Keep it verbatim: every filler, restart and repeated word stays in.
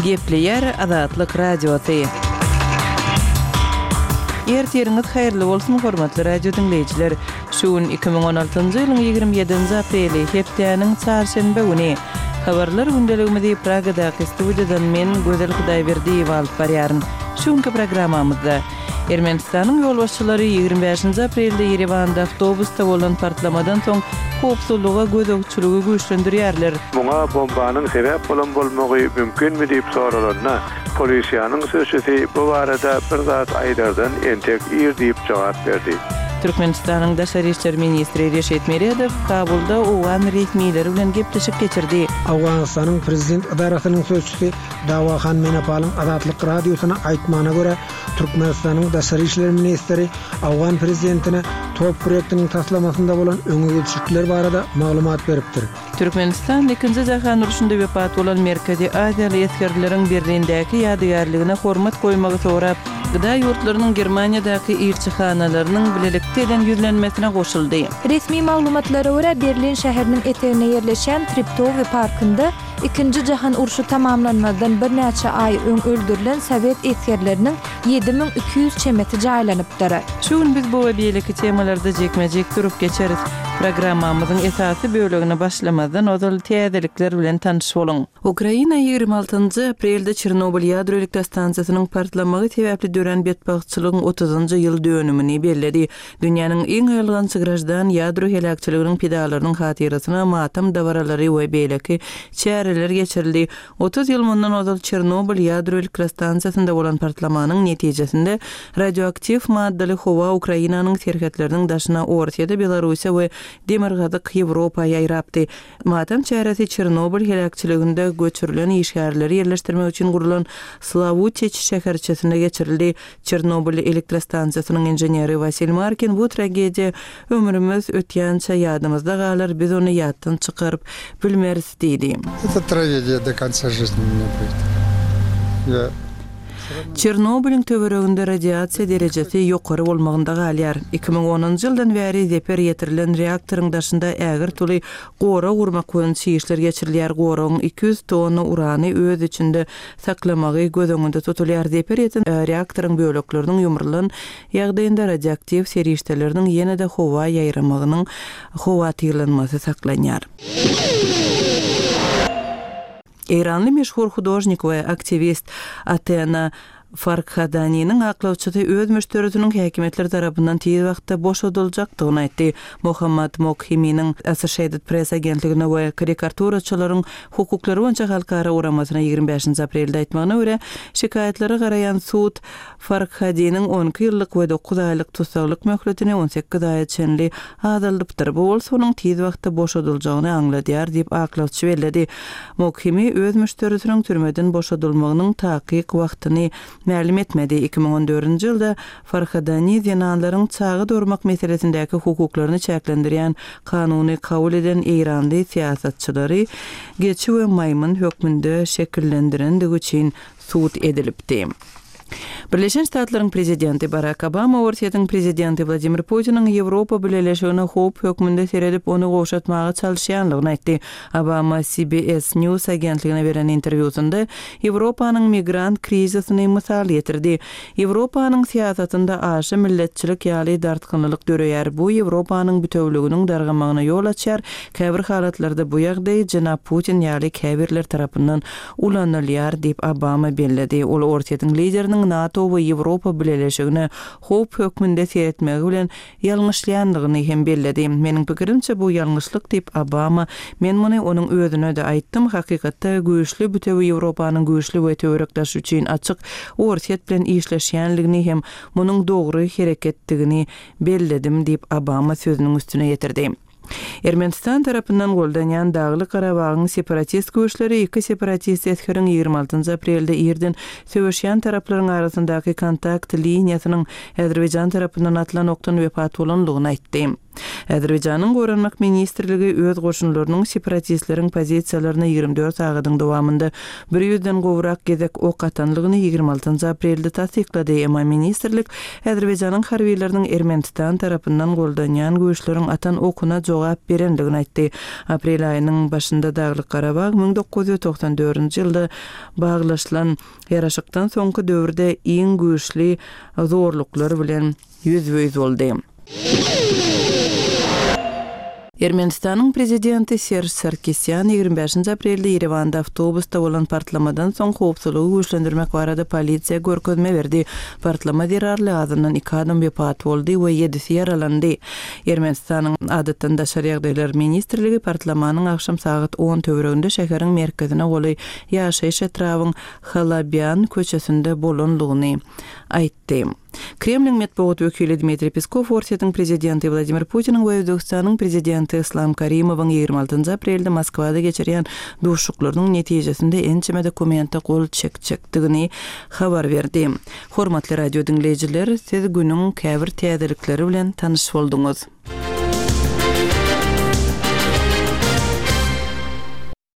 Gepleýär Azatlyk Radiosy. Ertiriňiz haýyrly bolsun, hormatly radio diňleýjiler. Şu gün iki müň on altynjy ýylyň ýigrimi ýedinji apreli, hepdäniň çarşenbe güni. Habarlar gündeligimizi Pragadaky studiýadan men, Gözel Hudaýberdiýewa alyp barýaryn. Şu günki programmamyzda Ermenistanyň ýolbaşçylary ýigrimi bäşinji aprelde Ýerewanda awtobusda bolan partlamadan soň howpsuzlyga gözegçiligi güýçlendirýärler. Muňa bombanyň sebäp bolan bolmagy mümkinmi diýip soralanda, polisiýanyň sözçüsi bu barada bir zat aýdardan entek ir diýip jogap berdi. Türkmenistanyň Daşary işler ministri Reşit Meredow Kabulda owgan resmileri bilen gepleşik geçirdi. Owganystanyň prezident edarasynyň sözçüsi Dawahan Menapalyň Azatlyk Radiosyna aýtmagyna görä, Türkmenistanyň Daşary işler ministri owgan prezidentine top proýektiniň taslamasynda bolan öňe gidişlikler barada maglumat beripdir. Türkmenistan ikinji jahan urşunda wepat bolan Merkezi Aziýaly esgerleriň Berlindäki ýadygärligine hormat goýmagy sorap, G D A ýurtlarynyň Germaniýadaky ilçihanalarynyň bilelikde eden ýüzlenmesine goşuldy. Resmi maglumatlara görä, Berlin şäheriniň etegine ýerleşen Treptow parkynda ikinji jahan urşy tamamlanmazdan birnäçe aý öň öldürilen sowet esgerleriniň ýedi müň iki ýüz çemesi jaýlanypdyr. Şu gün biz bu we beýleki temalarda jikme-jik durup geçeris. Programmamyzyň esasy bölegine başlamazdan ozal täzelikler bilen tanyş boluň. Ukraina ýigrimi altynjy aprelde Çernobyl ýadro elektrostansiýasynyň partlamagy sebäpli dörän betbagtçylygyň otuzynjy ýyl dönümini belledi. Dünýäniň iň aýylganç graždan ýadro heläkçiliginiň pidalarynyň hatyrasyna matam dabaralary we beýleki çäreler geçirildi. Otuz ýyl mundan ozal Çernobyl ýadro elektrostansiýasynda bolan partlamanyň netijesinde radioaktiw maddaly howa Ukrainanyň serhetleriniň daşyna Orsýete, Belarusiýa we Demirgazyk Ýewropa ýaýrapdy. Matam çäresi Çernobyl heläkçiliginde göçürilen işgärleri ýerleşdirmek üçin gurulan Slavutiç şäherçesinde geçirildi. Çernobyl elektrostansiýasynyň inženeri Wasil Markin bu tragediýa ömrümüz ötýänçe ýadymyzda galar, biz ony ýatdan çykaryp bilmeris diýdi. Это трагедия до конца жизни у меня будет. Я Çernobylyň töwereginde radiasiýa derejesi ýokary bolmagynda galýar. Iki müň onunjy ýyldan bäri zeper ýetirilen reaktoryň daşynda ägirt uly gorag gurmak boýunça işler geçirilýär. Goragyň iki ýüz tonna urany öz içinde saklamagy göz öňünde tutulýar. Zeper ýeten reaktoryň bölekleriniň ýumrulan ýagdaýynda radioaktiw serişdeleriniň ýene-de howa ýaýramagynyň howatyrlanmasy saklanýar. Eýranly meşhur hudožnik we aktiwist Atena Farkhadaniniň aklawçysy öz müşderisiniň häkimiýetler tarapyndan tiz wagtda boşadyljakdygyny aýtdy. Muhammad Mokhiminiň Associated Press agentligine we karikaturaçylaryň hukuklary boýunça halkara guramasyna ýigrimi bäşinji aprelde aýtmagyna görä, şikaýatlara garaýan sud Farkhadiniň on iki ýyllyk we dokuz aýlyk tussaglyk möhletini on sekiz aýa çenli azaldypdyr. Bu bolsa onuň tiz wagtda boşadyljagyny aňladýar diýip aklawçy belledi. Mokhimi öz müşderisiniň türmeden boşadylmagynyň takyk wagtyny mälim etmedi. Iki müň on dördünji ýylda Farhadani zenanlaryň çaga doğurmak meselesindäki hukuklaryny çäklendirýän kanuny kabul eden Eýranly syýasatçylary geçi we maýmyn hökmünde şekillendirendigi üçin sud edilipdi. Birleşen Ştatlaryň prezidenti Barack Obama Orsýetiň prezidenti Wladimir Putiniň Ýewropa Bileleşigine howp hökmünde seredip ony gowşatmaga çalyşýanlygyny aýtdy. Obama C B S News agentligine beren interwýusynda Ýewropanyň migrant krizisini mysal getirdi. Ýewropanyň syýasatynda aşa milletçilik ýaly dartgynlyk döreýär. Bu Ýewropanyň bütewliginiň dargamagyna ýol açýar. Käbir halatlarda bu ýagdaý jenap Putin ýaly käbirler tarapyndan ulanylýar diýip Obama belledi. Ol Orsýetiň lideriniň NATO we Ýewropa Bileleşigine howp hökmünde seretmegi bilen ýalňyşlaýanlygyny hem belledi. Meniň pikirimçe bu ýalňyşlyk diýip Obama, men muny onuň özüne de aýtdym. Hakykatda güýçli bütewi Ýewropanyň güýçli we töwerekdaş üçin açyk Orsýet bilen işleşýänligini hem munuň dogry hereketdigini belledim diýip Obama sözüniň üstüne ýetirdi. Ermenistan tarapyndan goldanýan Dagly Garabagyň separatist güýçleri iki separatist esgeriň ýigrimi altynjy aprelde irden söweşýän taraplaryň arasyndaky kontakt liniýasynyň Azerbaýjan tarapyndan atylan okdan wepat bolanlygyny aýtdy. Azerbaýjanyň Goranmak ministrligi öz goşunlarynyň separatistleriň pozisiýalaryna ýigrimi dört sagadyň dowamynda bir ýüzden gowrak gezek ok atanlygyny ýigrimi altynjy aprelde tassyklady, emma ministrlik Azerbaýjanyň harbylarynyň Ermenistan tarapyndan goldanýan güýçleriň atan okuna jogap berendigini aýtdy. Aprel aýynyň başynda Daglyk-Garabag müň dokuz ýüz togsan dördünji ýylda baglaşylan ýaraşykdan soňky döwürde iň güýçli zorluklar bilen ýüzbe-ýüz boldy. Ermenistanyň prezidenti Serž Sarkisýan ýigrimi bäşinji aprelde Ýerewanda awtobusda bolan partlamadan soň howpsuzlygy güýçlendirmek barada polisiýa görkezme berdi. Partlama zerarly azyndan iki adam wepat boldy we ýedisi ýaralandy. Ermenistanyň Adatdan daşary ýagdaýlar ministrligi partlamanyň agşam sagat on töwereginde şäheriň merkezine golaý ýaşaýyş etrabyň Halabýan köçesinde bolanlygyny aýtdy. Kremliň metbugat wekili Dmitriý Peskow Orsýetiň prezidenti Wladimir Putiniň we Özbegistanyň prezidenti Islam Karimowyň ýigrimi altynjy aprelde Moskwada geçirýän duşuşyklarynyň netijesinde ençeme dokumente gol çekjekdigini habar berdi. Hormatly radio diňleýjiler, siz günüň käbir täzelikleri bilen tanyş bolduňyz.